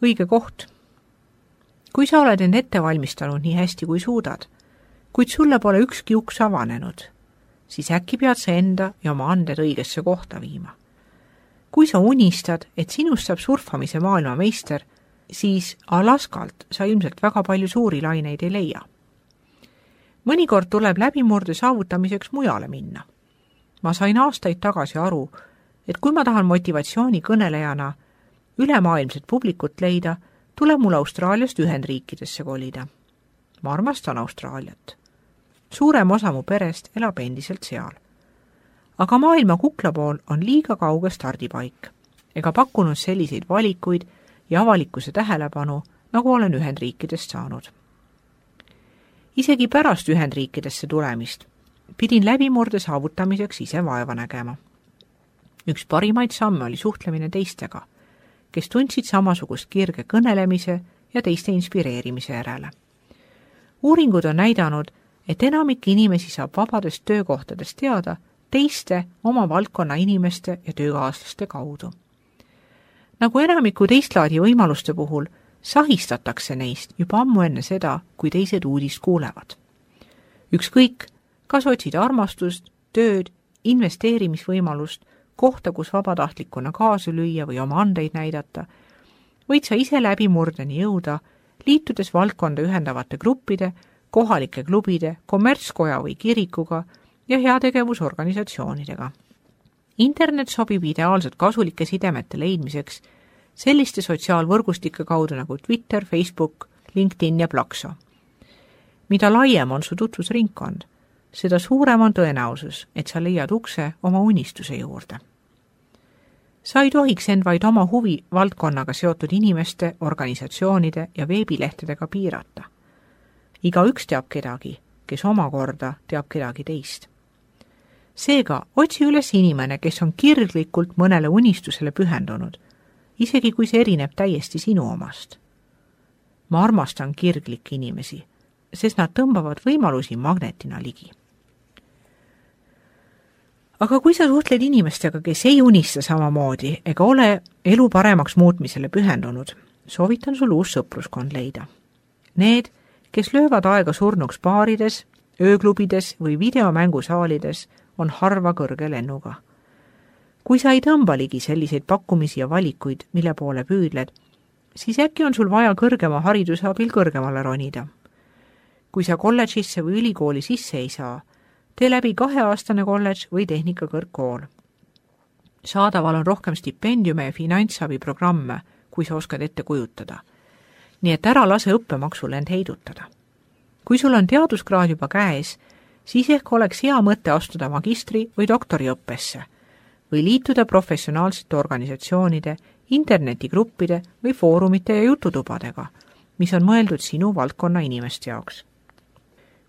Õige koht. Kui sa oled end ette valmistanud nii hästi kui suudad, kuid sulle pole ükski uks avanenud, siis äkki pead sa enda ja oma anded õigesse kohta viima. Kui sa unistad, et sinust saab surfamise maailmameister, siis Alaskalt sa ilmselt väga palju suuri laineid ei leia. Mõnikord tuleb läbimurde saavutamiseks mujale minna. Ma sain aastaid tagasi aru, et kui ma tahan motivatsiooni kõnelejana ülemaailmset publikut leida, tuleb mul Austraaliast Ühendriikidesse kolida. Ma armastan Austraaliat. Suurem osa mu perest elab endiselt seal. Aga maailma kuklapool on liiga kauge stardipaik ega pakkunud selliseid valikuid ja avalikkuse tähelepanu, nagu olen Ühendriikidest saanud. Isegi pärast Ühendriikidesse tulemist pidin läbimurde saavutamiseks ise vaeva nägema. Üks parimaid samme oli suhtlemine teistega, kes tundsid samasugust kirge kõnelemise ja teiste inspireerimise järele. Uuringud on näidanud, et enamik inimesi saab vabadest töökohtadest teada teiste oma valdkonna inimeste ja töökaaslaste kaudu. Nagu enamiku teistlaadi võimaluste puhul, sahistatakse neist juba ammu enne seda, kui teised uudist kuulevad. Ükskõik, kas otsid armastust, tööd, investeerimisvõimalust, kohta, kus vabatahtlikuna kaasa lüüa või oma andeid näidata, võid sa ise läbimurdeni jõuda, liitudes valdkonda ühendavate gruppide, kohalike klubide, kommertskoja või kirikuga ja heategevusorganisatsioonidega. Internet sobib ideaalselt kasulike sidemete leidmiseks selliste sotsiaalvõrgustike kaudu nagu Twitter, Facebook, LinkedIn ja Plakso. Mida laiem on su tutvusringkond, seda suurem on tõenäosus, et sa leiad ukse oma unistuse juurde. Sa ei tohiks end vaid oma huvi valdkonnaga seotud inimeste, organisatsioonide ja veebilehtedega piirata. Igaüks teab kedagi, kes omakorda teab kedagi teist. Seega, otsi üles inimene, kes on kirglikult mõnele unistusele pühendunud, isegi kui see erineb täiesti sinu omast. Ma armastan kirglikke inimesi, sest nad tõmbavad võimalusi magnetina ligi. Aga kui sa suhtled inimestega, kes ei unista samamoodi ega ole elu paremaks muutmisele pühendunud, soovitan sul uus sõpruskond leida. Need, kes löövad aega surnuks baarides, ööklubides või videomängusaalides, on harva kõrge lennuga. Kui sa ei tõmba ligi selliseid pakkumisi ja valikuid, mille poole püüdled, siis äkki on sul vaja kõrgema hariduse abil kõrgemale ronida. Kui sa kolledžisse või ülikooli sisse ei saa, tee läbi 2-aastane kolledž või tehnikakõrgkool. Saadaval on rohkem stipendiume ja finantsabiprogramme, kui sa oskad ette kujutada. Nii et ära lase õppemaksul end heidutada. Kui sul on teaduskraad juba käes, siis ehk oleks hea mõte astuda magistri- või doktoriõppesse või liituda professionaalsete organisatsioonide, internetigruppide või foorumite ja jututubadega, mis on mõeldud sinu valdkonna inimeste jaoks.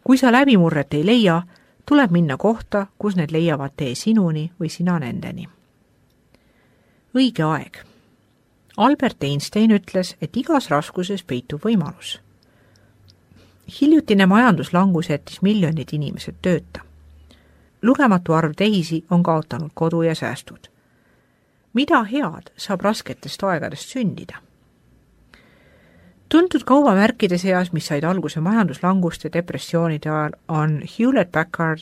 Kui sa läbimurret ei leia, tuleb minna kohta, kus need leiavad tee sinuni või sina nendeni. Õige aeg. Albert Einstein ütles, et igas raskuses peitub võimalus. Hiljutine majanduslangus jättis miljonid inimesed tööta. Lugematu arv teisi on kaotanud kodu ja säästud. Mida head saab rasketest aegadest sündida? Tuntud kaubamärkide seas, mis said alguse majanduslanguste ja depressioonide ajal, on Hewlett-Packard,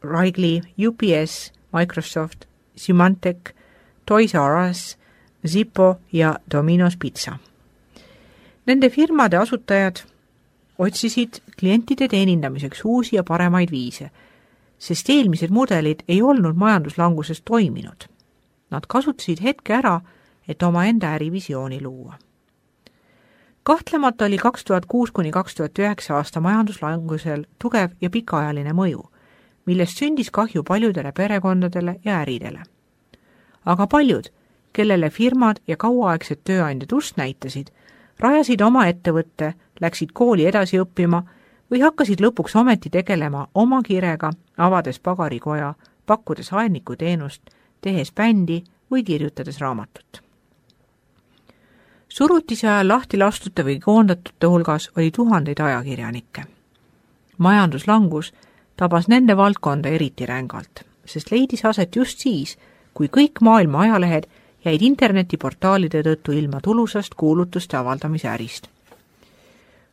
Wrigley, UPS, Microsoft, Symantec, Toys R Us, Zippo ja Domino's Pizza. Nende firmade asutajad otsisid klientide teenindamiseks uusi ja paremaid viise, sest eelmised mudelid ei olnud majanduslanguses toiminud. Nad kasutasid hetke ära, et oma enda ärivisiooni luua. Kahtlemata oli 2006–2009 aasta majanduslangusel tugev ja pikaajaline mõju, millest sündis kahju paljudele perekondadele ja äridele. Aga paljud, kellele firmad ja kauaaegsed tööandjad ust näitasid, rajasid oma ettevõtte, läksid kooli edasi õppima või hakkasid lõpuks ometi tegelema oma kirega, avades pagarikoja, pakkudes aednikuteenust, tehes bändi või kirjutades raamatut. Surutise ajal lahti lastute või koondatute hulgas oli tuhandeid ajakirjanikke. Majanduslangus tabas nende valdkonda eriti rängalt, sest leidis aset just siis, kui kõik maailma ajalehed jäid internetiportaalide tõttu ilma tulusast kuulutuste avaldamise ärist.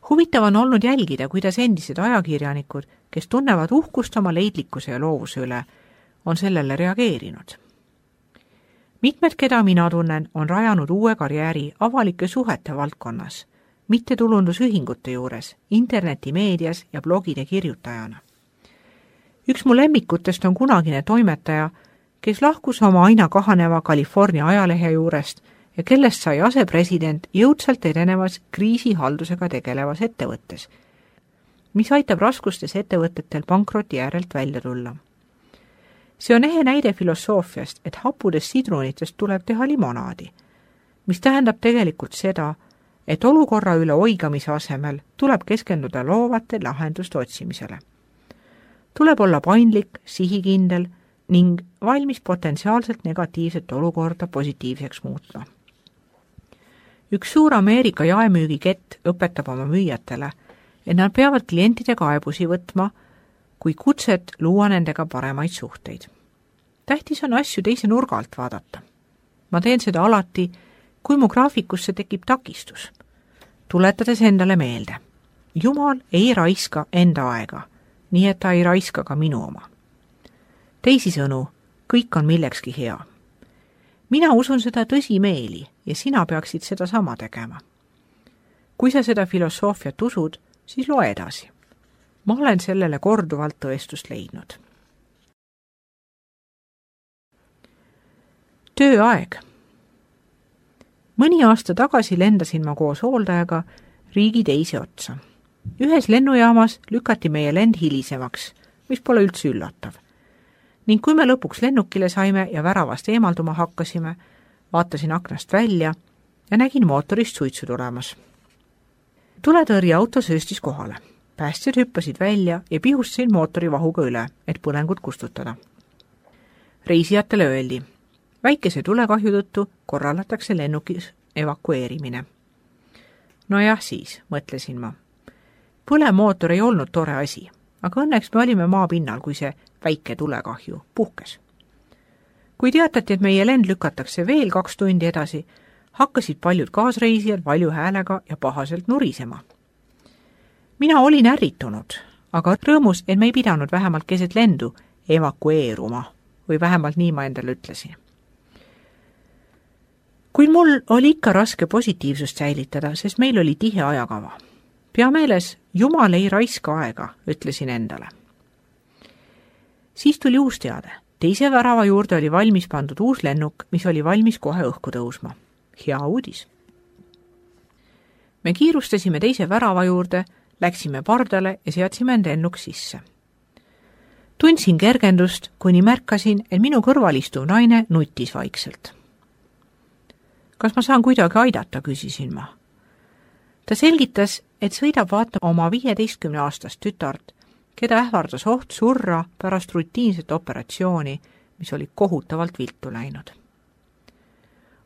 Huvitav on olnud jälgida, kuidas endised ajakirjanikud, kes tunnevad uhkust oma leidlikkuse ja loovuse üle, on sellele reageerinud. Mitmed, keda mina tunnen, on rajanud uue karjääri avalike suhete valdkonnas, mittetulundusühingute juures, internetimeedias ja blogide kirjutajana. Üks mu lemmikutest on kunagine toimetaja, kes lahkus oma aina kahaneva California ajalehe juurest ja kellest sai asepresident jõudsalt edenevas kriisihaldusega tegelevas ettevõttes, mis aitab raskustes ettevõtetel pankroti järelt välja tulla. See on ehe näide filosoofiast, et happudest sidrunitest tuleb teha limonaadi, mis tähendab tegelikult seda, et olukorra üle oigamise asemel tuleb keskenduda loovate lahenduste otsimisele. Tuleb olla paindlik, sihikindel ning valmis potentsiaalselt negatiivset olukorda positiivseks muutma. Üks suur Ameerika jaemüügikett õpetab oma müüjatele, et nad peavad klientide kaebusi võtma, kui kutset luua nendega paremaid suhteid. Tähtis on asju teise nurga alt vaadata. Ma teen seda alati, kui mu graafikusse tekib takistus, tuletades endale meelde. Jumal ei raiska enda aega, nii et ta ei raiska ka minu oma. Teisisõnu, kõik on millekski hea. Mina usun seda tõsimeeli ja sina peaksid seda sama tegema. Kui sa seda filosoofiat usud, siis loe edasi. Ma olen sellele korduvalt tõestust leidnud. Tööaeg. Mõni aasta tagasi lendasin ma koos hooldajaga riigi teise otsa. Ühes lennujaamas lükati meie lend hilisemaks, mis pole üldse üllatav. Ning kui me lõpuks lennukile saime ja väravast eemalduma hakkasime, vaatasin aknast välja ja nägin mootorist suitsu tulemas. Tuletõrjeauto sööstis kohale. Päästjad hüppasid välja ja pihustasin mootori vahuga üle, et põlengut kustutada. Reisijatele öeldi, väikese tulekahju tõttu korraldatakse lennukis evakueerimine. No jah siis, mõtlesin ma. Põlemootor ei olnud tore asi, aga õnneks me olime maapinnal, kui see väike tulekahju puhkes. Kui teatati, et meie lend lükatakse veel 2 tundi edasi, hakkasid paljud kaasreisijad valju häälega ja pahaselt nurisema. Mina olin ärritunud, aga rõõmus, et me ei pidanud vähemalt keset lendu evakueeruma, või vähemalt nii ma endale ütlesin. Kuid mul oli ikka raske positiivsust säilitada, sest meil oli tihe ajakava. Pea meeles, Jumal ei raiska aega, ütlesin endale. Siis tuli uus teade. Teise värava juurde oli valmis pandud uus lennuk, mis oli valmis kohe õhku tõusma. Hea uudis. Me kiirustasime teise värava juurde, läksime pardale ja seadsime end lennuk sisse. Tundsin kergendust, kuni märkasin, et minu kõrval istuv naine nutis vaikselt. Kas ma saan kuidagi aidata, küsisin ma. Ta selgitas, et sõidab vaatama oma 15-aastast tütart, keda ähvardas oht surra pärast rutiinset operatsiooni, mis oli kohutavalt viltu läinud.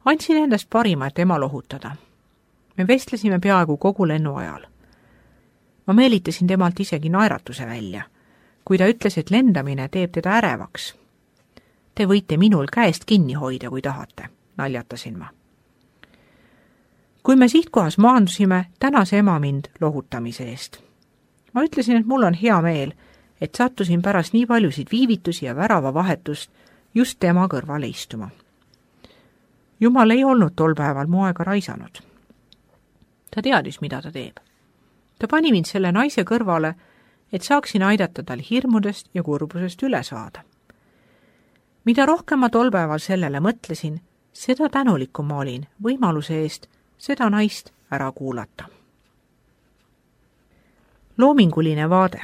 Andsin endast parima, et ema lohutada. Me vestlesime peaaegu kogu lennu ajal. Ma meelitasin temalt isegi naeratuse välja, kui ta ütles, et lendamine teeb teda ärevaks. Te võite minul käest kinni hoida, kui tahate, naljatasin ma. Kui me sihtkohas maandusime, tänas ema mind lohutamise eest. Ma ütlesin, et mul on hea meel, et sattusin pärast nii paljusid viivitusi ja värava vahetust just tema kõrvale istuma. Jumal ei olnud tol päeval mu aega raisanud. Ta teadis, mida ta teeb. Ta pani mind selle naise kõrvale, et saaksin aidata tal hirmudest ja kurbusest üle saada. Mida rohkem ma tol päeval sellele mõtlesin, seda tänulikum ma olin võimaluse eest seda naist ära kuulata. Loominguline vaade.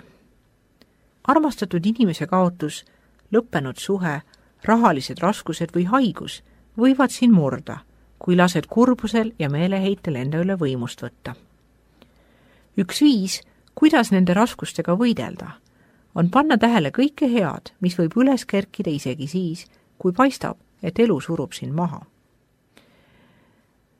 Armastatud inimese kaotus, lõppenud suhe, rahalised raskused või haigus võivad siin murda, kui lased kurbusel ja meeleheitel enda üle võimust võtta. Üks viis, kuidas nende raskustega võidelda, on panna tähele kõike head, mis võib üles kerkida isegi siis, kui paistab, et elu surub sind maha.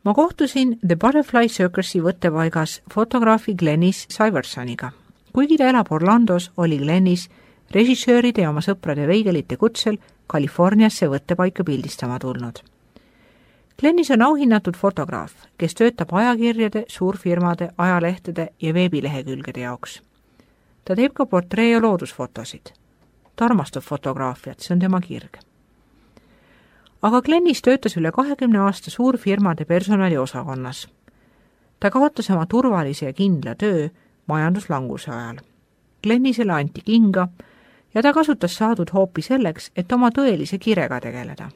Ma kohtusin The Butterfly Circusi võttepaigas fotograafi Glennis Syversoniga. Kuigi ta elab Orlandos, oli Glennis režissööride ja oma sõprade veigelite kutsel Californiasse võttepaika pildistama tulnud. Glennis on auhinnatud fotograaf, kes töötab ajakirjade, suurfirmade, ajalehtede ja veebilehekülgede jaoks. Ta teeb ka portree- ja loodusfotosid. Ta armastab fotograafiat, see on tema kirg. Aga Glennis töötas üle 20 aasta suurfirmade personaliosakonnas. Ta kaotas oma turvalise ja kindla töö majanduslanguse ajal. Glennisele anti kinga ja ta kasutas saadud hoopi selleks, et oma tõelise kirega tegeleda.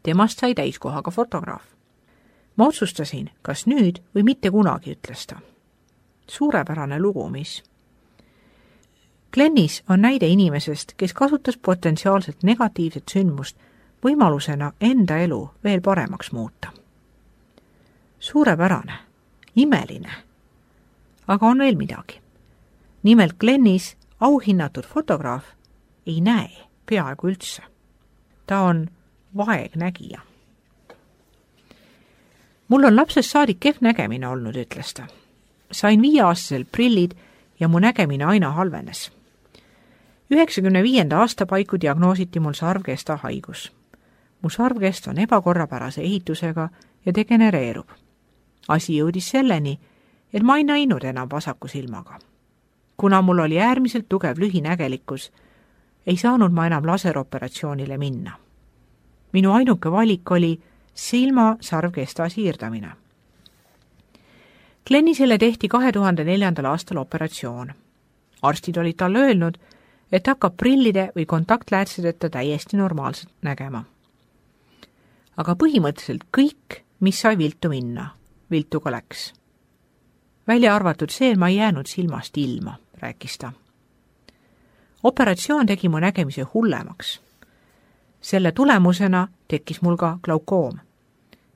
Temast sai täiskohaga fotograaf. Ma otsustasin, kas nüüd või mitte kunagi, ütles ta. Suurepärane lugu, mis? Glennis on näide inimesest, kes kasutas potentsiaalselt negatiivset sündmust võimalusena enda elu veel paremaks muuta. Suurepärane, imeline. Aga on veel midagi. Nimelt Glennis, auhinnatud fotograaf, ei näe peaaegu üldse. Ta on vaegnägija. Mul on lapsest saadik kehv nägemine olnud, ütles ta. Sain 5-aastaselt prillid ja mu nägemine aina halvenes. 95. aasta paiku diagnoositi mul sarvkesta haigus. Mu sarvkest on ebakorrapärase ehitusega ja degenereerub. Asi jõudis selleni, et ma ei näinud enam vasaku silmaga. Kuna mul oli äärmiselt tugev lühinägelikkus, ei saanud ma enam laseroperatsioonile minna. Minu ainuke valik oli silma sarvkesta siirdamine. Glennisele tehti 2004. aastal operatsioon. Arstid olid talle öelnud, et hakkab prillide või kontaktläätsedeta täiesti normaalselt nägema. Aga põhimõtteliselt kõik, mis sai viltu minna, viltu ka läks. Välja arvatud see, et ma ei jäänud silmast ilma, rääkis ta. Operatsioon tegi mu nägemise hullemaks. Selle tulemusena tekkis mul ka glaukoom.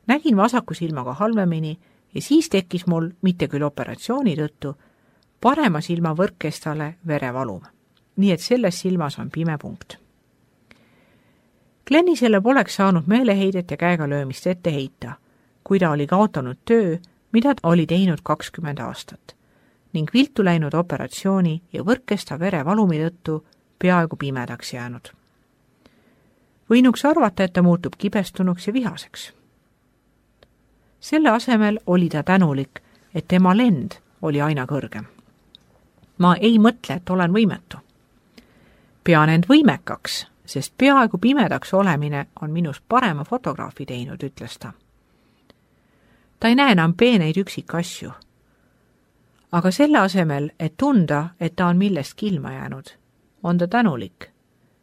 Nägin vasaku silmaga halvemini ja siis tekkis mul, mitte küll operatsiooni tõttu, parema silma võrkkestale verevalum. Nii et selles silmas on pime punkt. Glennisele poleks saanud meeleheidet ja käega löömist ette heita, kui ta oli kaotanud töö, mida ta oli teinud 20 aastat, ning viltu läinud operatsiooni ja võrkkesta verevalumi tõttu peaaegu pimedaks jäänud. Võinuks arvata, et ta muutub kibestunuks ja vihaseks. Selle asemel oli ta tänulik, et tema lend oli aina kõrgem. Ma ei mõtle, et olen võimetu. Pean end võimekaks, sest peaaegu pimedaks olemine on minust parema fotograafi teinud, ütles ta. Ta ei näe enam peeneid üksikasju. Aga selle asemel, et tunda, et ta on millestki ilma jäänud, on ta tänulik,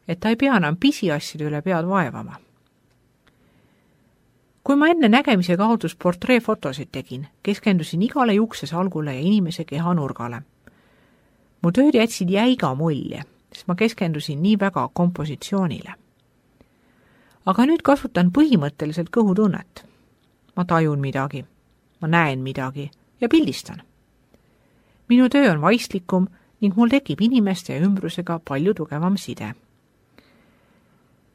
et ta ei pea enam pisiasjade üle pead vaevama. Kui ma enne nägemise kaotus portreefotosid tegin, keskendusin igale juksesalgule ja inimese kehanurgale. Mu tööd jätsid jäiga mulje, sest ma keskendusin nii väga kompositsioonile. Aga nüüd kasutan põhimõtteliselt kõhutunnet. Ma tajun midagi, ma näen midagi ja pildistan. Minu töö on vaistlikum ning mul tekib inimeste ja ümbrusega palju tugevam side.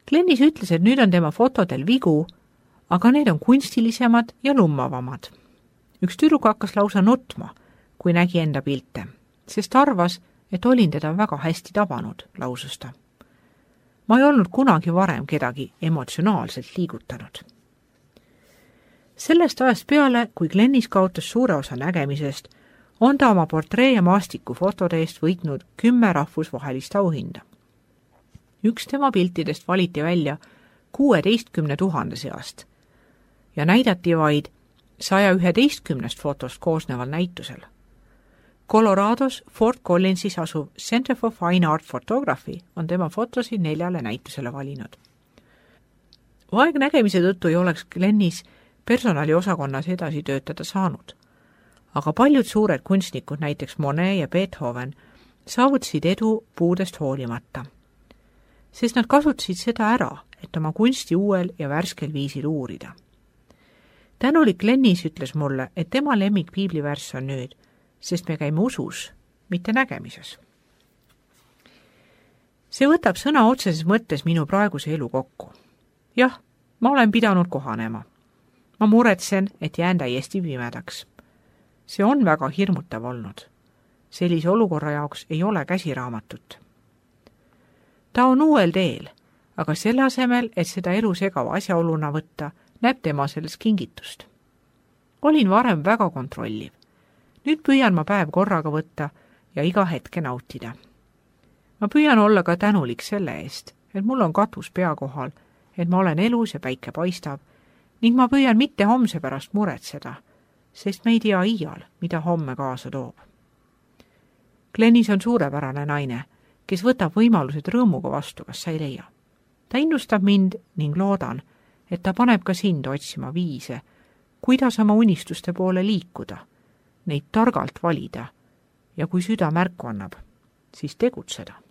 Glennis ütles, et nüüd on tema fotodel vigu, aga need on kunstilisemad ja lummavamad. Üks tüdruk hakkas lausa nutma, kui nägi enda pilte, sest arvas, et olin teda väga hästi tabanud, lausus ta. Ma ei olnud kunagi varem kedagi emotsionaalselt liigutanud. Sellest ajast peale, kui Glennis kaotas suure osa nägemisest, on ta oma portree- ja maastikufotode eest võitnud 10 rahvusvahelist auhinda. Üks tema piltidest valiti välja 16 000 seast ja näidati vaid 111 fotost koosneval näitusel. Colorados Fort Collinsis asuv Center for Fine Art Photography on tema fotosid 4 näitusele valinud. Vaegnägemise tõttu ei oleks Glennis personaliosakonnas edasi töötada saanud, aga paljud suured kunstnikud, näiteks Monet ja Beethoven, saavutasid edu puudest hoolimata, sest nad kasutasid seda ära, et oma kunsti uuel ja värskel viisil uurida. Tänulik Glennis ütles mulle, et tema lemmik piiblivärss on nüüd, sest me käime usus, mitte nägemises. See võtab sõna otseses mõttes minu praeguse elu kokku. Jah, ma olen pidanud kohanema. Ma muretsen, et jään täiesti pimedaks. See on väga hirmutav olnud. Sellise olukorra jaoks ei ole käsiraamatut. Ta on uuel teel, aga selle asemel, et seda elu segava asjaoluna võtta, näeb tema selles kingitust. Olin varem väga kontrolliv. Nüüd püüan ma päev korraga võtta ja iga hetke nautida. Ma püüan olla ka tänulik selle eest, et mul on katus pea kohal, et ma olen elus ja päike paistab, ning ma püüan mitte homse pärast muretseda, sest me ei tea iial, mida homme kaasa toob. Glenis on suurepärane naine, kes võtab võimalused rõõmuga vastu, kas sa ei leia. Ta innustab mind ning loodan, et ta paneb ka sind otsima viise, kuidas oma unistuste poole liikuda, neid targalt valida ja kui süda märku annab, siis tegutseda.